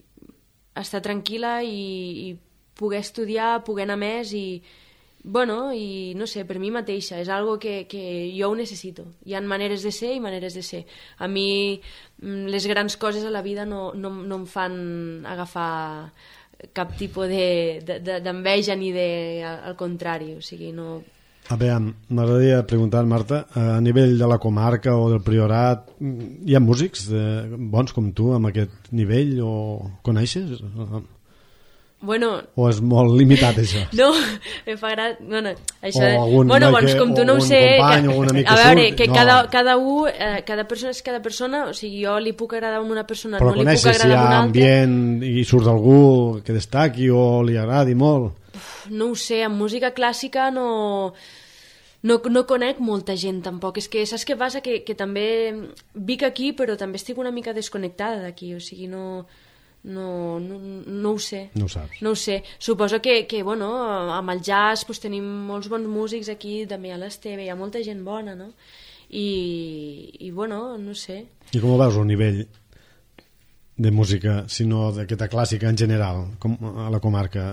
estar tranquil·la i, i poder estudiar, poder anar més i, bueno, i no sé, per mi mateixa, és algo que, que jo ho necessito. Hi ha maneres de ser i maneres de ser. A mi les grans coses a la vida no, no, no em fan agafar cap tipus d'enveja de, de, ni de... al contrari, o sigui, no... A veure, m'agradaria preguntar, Marta, a nivell de la comarca o del Priorat, hi ha músics de, bons com tu amb aquest nivell o coneixes? Bueno, o és molt limitat això? No, em fa gràcia... Bueno, això... O algun bueno, doncs, que, com tu no ho sé... company, que, o a veure, surt, que no. cada, cada un, eh, cada persona és cada persona, o sigui, jo li puc agradar a una persona, però no li puc agradar si hi a ha una altra. ambient i surt algú que destaqui o li agradi molt? Uf, no ho sé, amb música clàssica no... No, no conec molta gent tampoc, és que saps què passa? Que, que també vic aquí però també estic una mica desconnectada d'aquí, o sigui, no, No, no, no ho sé. No ho saps. No ho sé. Suposo que, que bueno, amb el jazz pues, tenim molts bons músics aquí, també a l'Esteve, hi ha molta gent bona, no? I, i bueno, no sé. I com veus el nivell de música, si no d'aquesta clàssica en general, com a la comarca?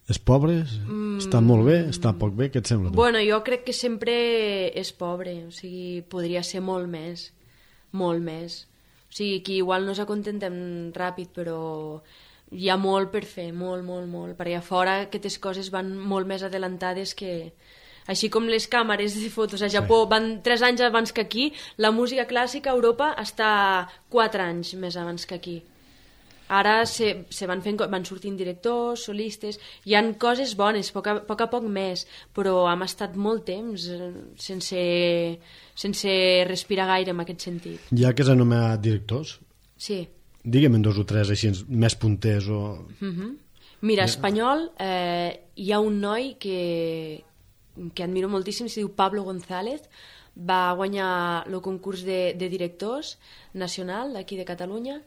És pobre? Mm. Està molt bé? Està poc bé? Què et sembla? Tu? Bueno, jo crec que sempre és pobre, o sigui, podria ser molt més, molt més. O sigui, que igual no s'acontentem ràpid, però hi ha molt per fer, molt, molt, molt. Per allà fora aquestes coses van molt més adelantades que... Així com les càmeres de fotos a Japó sí. van tres anys abans que aquí, la música clàssica a Europa està quatre anys més abans que aquí. Ara se, se van, fent, van sortint directors, solistes, hi han coses bones, a poc a, poc a poc més, però hem estat molt temps sense, sense respirar gaire en aquest sentit. Ja que has anomenat directors, sí. digue'm en dos o tres així més punters o... Uh-huh. Mira, espanyol, eh, hi ha un noi que, que admiro moltíssim, se diu Pablo González, va guanyar el concurs de, de directors nacional d'aquí de Catalunya,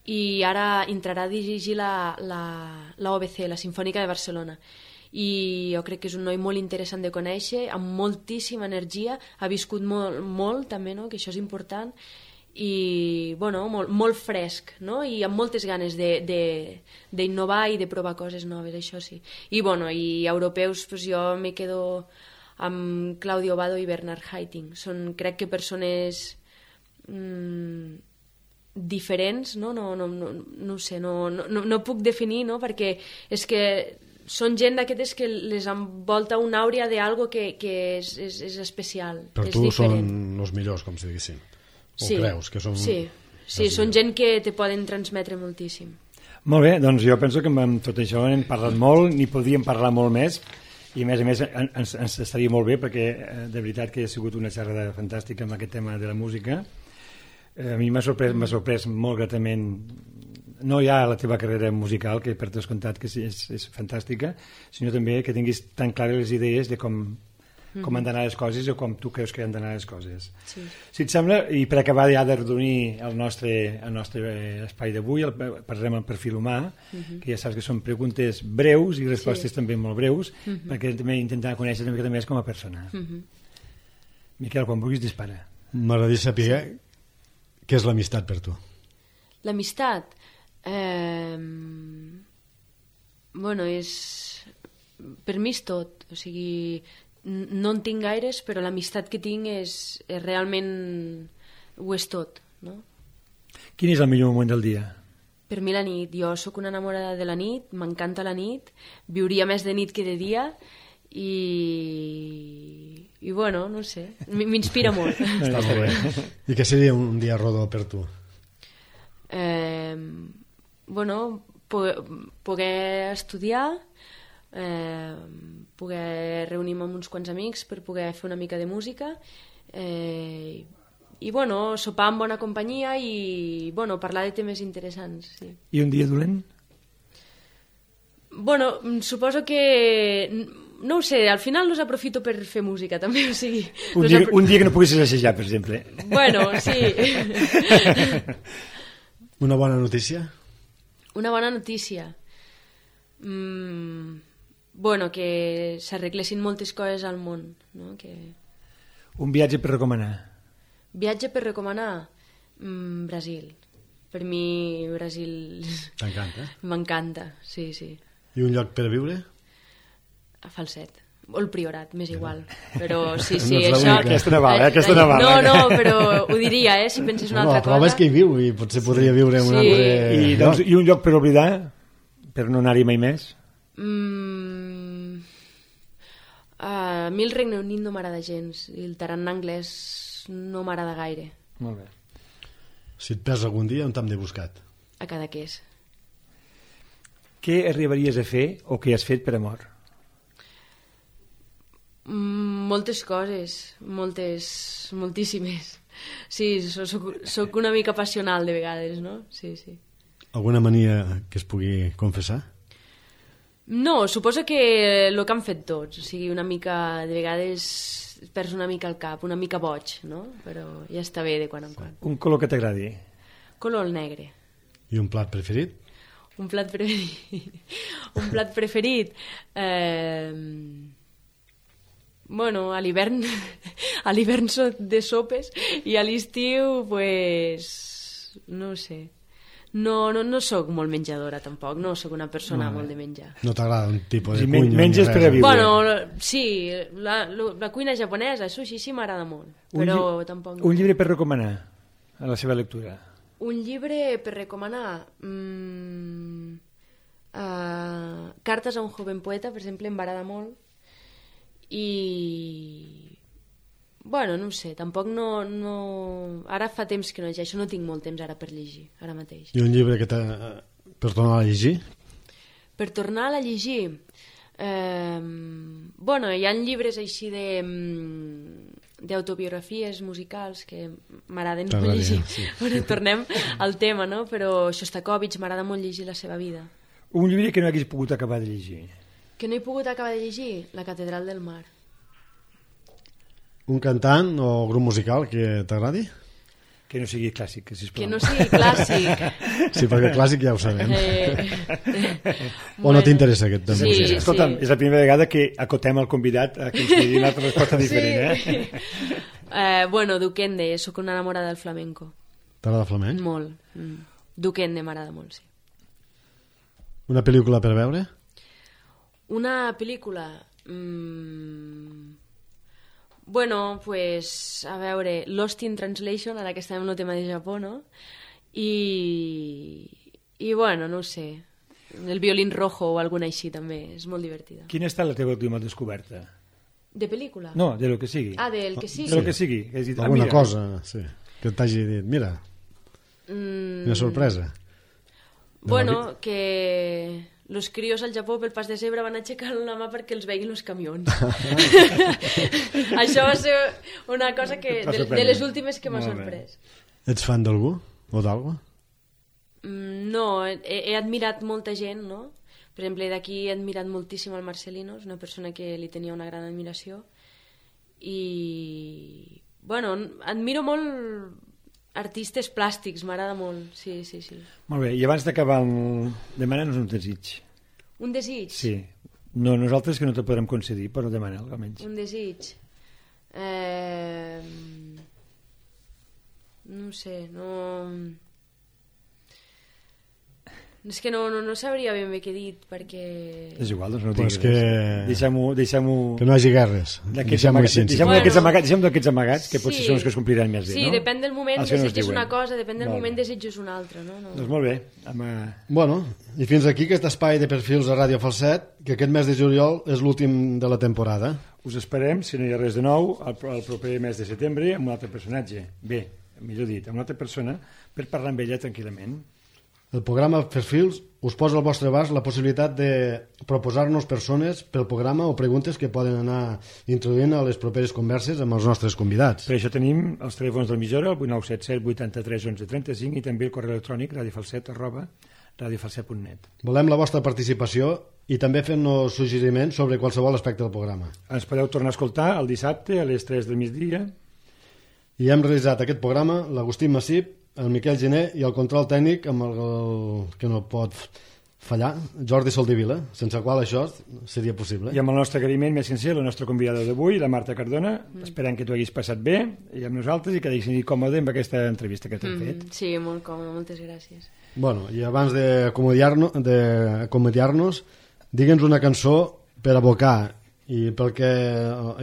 i ara entrarà a dirigir la, la, la O B C, la Simfònica de Barcelona. I jo crec que és un noi molt interessant de conèixer, amb moltíssima energia, ha viscut molt, molt també, no? Que això és important, i bueno, molt, molt fresc, no? I amb moltes ganes d'innovar i de provar coses noves, això sí. I, bueno, i europeus, pues jo me quedo amb Claudio Abbado i Bernard Haitink. Són, crec que, persones... Mmm, diferents, no? No, no, no, no ho sé, no, no, no puc definir, no? Perquè és que són gent d'aquestes que les envolta una àurea d'algo que, que és, és, és especial, per és tu diferent. Són els millors, com si diguéssim, o sí, creus que són... Sí, sí, són gent que te poden transmetre moltíssim. Molt bé, doncs jo penso que amb tot això hem parlat molt, n'hi podríem parlar molt més, i a més a més ens, ens estaria molt bé perquè de veritat que ha sigut una xerrada fantàstica amb aquest tema de la música. A mi m'ha sorprès, m'ha sorprès molt gratament, no ja la teva carrera musical, que per descomptat que és, és fantàstica, sinó també que tinguis tan clares les idees de com, mm-hmm. com han d'anar les coses o com tu creus que han d'anar les coses. Sí. Si et sembla, i per acabar ja de redonir el nostre, el nostre espai d'avui, parlarem al perfil humà, mm-hmm. que ja saps que són preguntes breus i respostes sí. també molt breus, mm-hmm. perquè també intentar conèixer una mica més com a persona. Mm-hmm. Miquel, quan vulguis dispara. M'agradaria saber... Sí. Què és l'amistat per tu? L'amistat? Eh... Bueno, és... Per mi és tot. O sigui, no en tinc gaires, però l'amistat que tinc és, és realment... Ho és tot, no? Quin és el millor moment del dia? Per mi la nit. Jo sóc una enamorada de la nit, m'encanta la nit, viuria més de nit que de dia... i i bueno, no sé, m'inspira molt. Està molt bé. I què seria un dia rodó per tu? Eh, bueno, poder, poder estudiar, eh, poder reunir-me amb uns quants amics per poder fer una mica de música, eh, i bueno, sopar amb bona companyia i bueno, parlar de temes interessants. Sí. I un dia dolent? Bueno, suposo que... No ho sé, al final los aprofito per fer música, també, o sigui... Un dia, apro... un dia que no puguis assajar, per exemple. Bueno, sí. Una bona notícia? Una bona notícia? Mm, bueno, que s'arreglessin moltes coses al món, no? Que... Un viatge per recomanar? Viatge per recomanar? Mm, Brasil. Per mi, Brasil... T'encanta? M'encanta, sí, sí. I un lloc per viure? A Falset, o el Priorat, m'és igual, però sí, sí, no això... Aquesta no val, eh? Aquesta no val. No, no, però ho diria, eh, si penses una no, altra cosa. La prova és que hi viu i potser podria viure en un sí. altre... I, doncs, I un lloc per oblidar? Per no anar-hi mai més? Mm... Uh, a mi el Regne Unit no m'agrada gens, i el tarannà anglès no m'agrada gaire. Molt bé. Si et perds algun dia, on t'hem de buscat? A Cadaqués. Què arribaries a fer o què has fet per amor? Moltes coses, moltes, moltíssimes. Sí, soc, soc una mica passional de vegades, no? Sí, sí. Alguna mania que es pugui confessar? No, suposo que el que han fet tots, o sigui, una mica, de vegades perds una mica el cap, una mica boig, no? Però ja està bé de quan en quan. Un color que t'agradi? Color el negre. I un plat preferit? Un plat preferit... un plat preferit... Eh... Bueno, a l'hivern a l'hivern soc de sopes i a l'estiu, pues... no ho sé. No, no, no sóc molt menjadora, tampoc. No sóc una persona no, molt de menjar. No t'agrada un tipus de sí, cuina? Menges per a viure. Bueno, sí, la, la, la cuina japonesa, el sushi, sí m'agrada molt, però un tampoc... No. Un llibre per recomanar a la seva lectura? Un llibre per recomanar... Mm, uh, Cartes a un joven poeta, per exemple, em va agradar molt. I... Bueno, no ho sé, tampoc no, no... Ara fa temps que no llegeixo, no tinc molt temps ara per llegir, ara mateix. I un llibre que t'ha... per tornar a llegir? Per tornar a llegir? Eh... Bueno, hi ha llibres així de... d'autobiografies musicals que m'agraden molt llegir. Sí. Bueno, tornem al tema, no? Però Shostakovich m'agrada molt llegir la seva vida. Un llibre que no hagués pogut acabar de llegir? Que no he pogut acabar de llegir? La Catedral del Mar. Un cantant o grup musical que t'agradi? Que no sigui clàssic, sisplau. Que no sigui clàssic. Sí, perquè clàssic ja ho sabem. Eh... o bueno, no t'interessa aquest tema? Sí, sí. Escolta'm, és la primera vegada que acotem el convidat a que ens digui una altra resposta diferent, sí. eh? eh? Bueno, Duquende, sóc una enamorada del flamenco. T'agrada flamenc? Molt. Mm. Duquende m'agrada molt, sí. Una pel·lícula per veure? Una pel·lícula... Mm... Bueno, pues, a veure, Lost in Translation, ara que estem en el tema de Japó, no? I, i bueno, no ho sé, el violín rojo o alguna així també, és molt divertida. Quina ha estat la teva última descoberta? De pel·lícula? No, de lo que sigui. Ah, del que sigui? De lo que sigui. Has dit, alguna ah, cosa, sí, que t'hagi dit, mira, mm... una sorpresa. Bueno, que... los crios al Japó pel pas de zebra van aixecar la mà perquè els veguin els camions. Això va ser una cosa que de, de les últimes que m'ha sorprès. Ets fan d'algú o d'algú? Mm, no, he, he admirat molta gent, no? Per exemple, d'aquí he admirat moltíssim el Marcelino, és una persona que li tenia una gran admiració. I, bueno, admiro molt artistes plàstics, m'agrada molt, sí, sí, sí. Molt bé, i abans d'acabar, el... demana-nos un desig. Un desig? Sí. No, nosaltres que no te podrem concedir, però demana almenys. Un desig? Eh... No sé, no... És que no, no, no sabria ben bé què he dit, perquè... És igual, doncs no pues diguis que... res. Deixem-ho... Deixem que no hi hagi guerres. Deixem-ho amagats, deixem bueno, d'aquests amagats, deixem d'aquests amagats, que potser sí, són els que es compliran més bé, sí, no? Sí, depèn del moment desitges una cosa, depèn del molt moment bé. desitges una altra, no? no. Doncs molt bé. Amb, uh... Bueno, i fins aquí aquest espai de perfils a Ràdio Falset, que aquest mes de juliol és l'últim de la temporada. Us esperem, si no hi ha res de nou, el, el proper mes de setembre amb un altre personatge. Bé, millor dit, amb una altra persona, per parlar amb ella tranquil·lament. El programa Perfils us posa al vostre abast la possibilitat de proposar-nos persones pel programa o preguntes que poden anar introduint a les properes converses amb els nostres convidats. Per això tenim els telèfons de l'emissora, el vuit nou set set vuitanta-tres onze trenta-cinc, i també el correu electrònic radiofalset arroba radiofalset punt net. Volem la vostra participació i també fent-nos suggeriments sobre qualsevol aspecte del programa. Ens podeu tornar a escoltar el dissabte a les tres del migdia. I hem realitzat aquest programa l'Agustí Massip, el Miquel Gené i el control tècnic amb el, el que no pot fallar, Jordi Soldevila, sense el qual això seria possible. I amb el nostre agraïment més sincer, la nostra convidada d'avui, la Marta Cardona, mm. esperant que t'ho haguis passat bé i amb nosaltres i que t'haguis còmode amb aquesta entrevista que t'hem mm, fet. Sí, molt còmode, moltes gràcies. Bueno, i abans d'acomodiar-nos, d'acomodiar-nos, digue'ns una cançó per abocar i per què,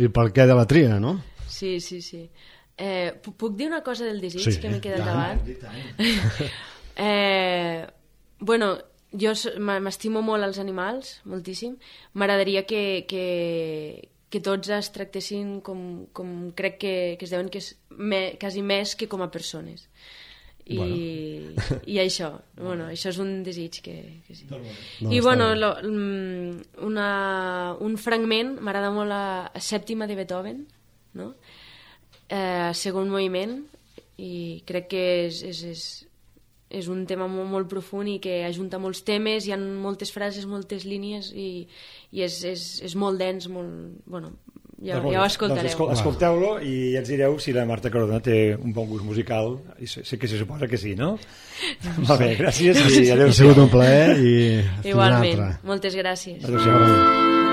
i per què de la tria, no? Sí, sí, sí. Eh, puc dir una cosa del desig sí, que m'he quedat tant, davant? eh, bueno, jo m'estimo molt els animals, moltíssim. M'agradaria que, que, que tots es tractessin com, com crec que, que es deuen que és me, quasi més que com a persones. I, bueno. i això, bueno, això és un desig que, que sí. No, I bueno, lo, una, un fragment, m'agrada molt la sèptima de Beethoven, no? Eh, segon moviment, i crec que és, és, és, és un tema molt, molt profund i que ajunta molts temes, hi ha moltes frases, moltes línies i, i és, és, és molt dens, molt, bueno, ja, ja ho escoltareu. Doncs escolteu-lo i ja ens direu si la Marta Cardona té un bon gust musical, i sé, sé que se suposa que sí, no? Va bé, gràcies i adéu. Ha sigut un plaer i igualment, moltes gràcies. Adéu-siau.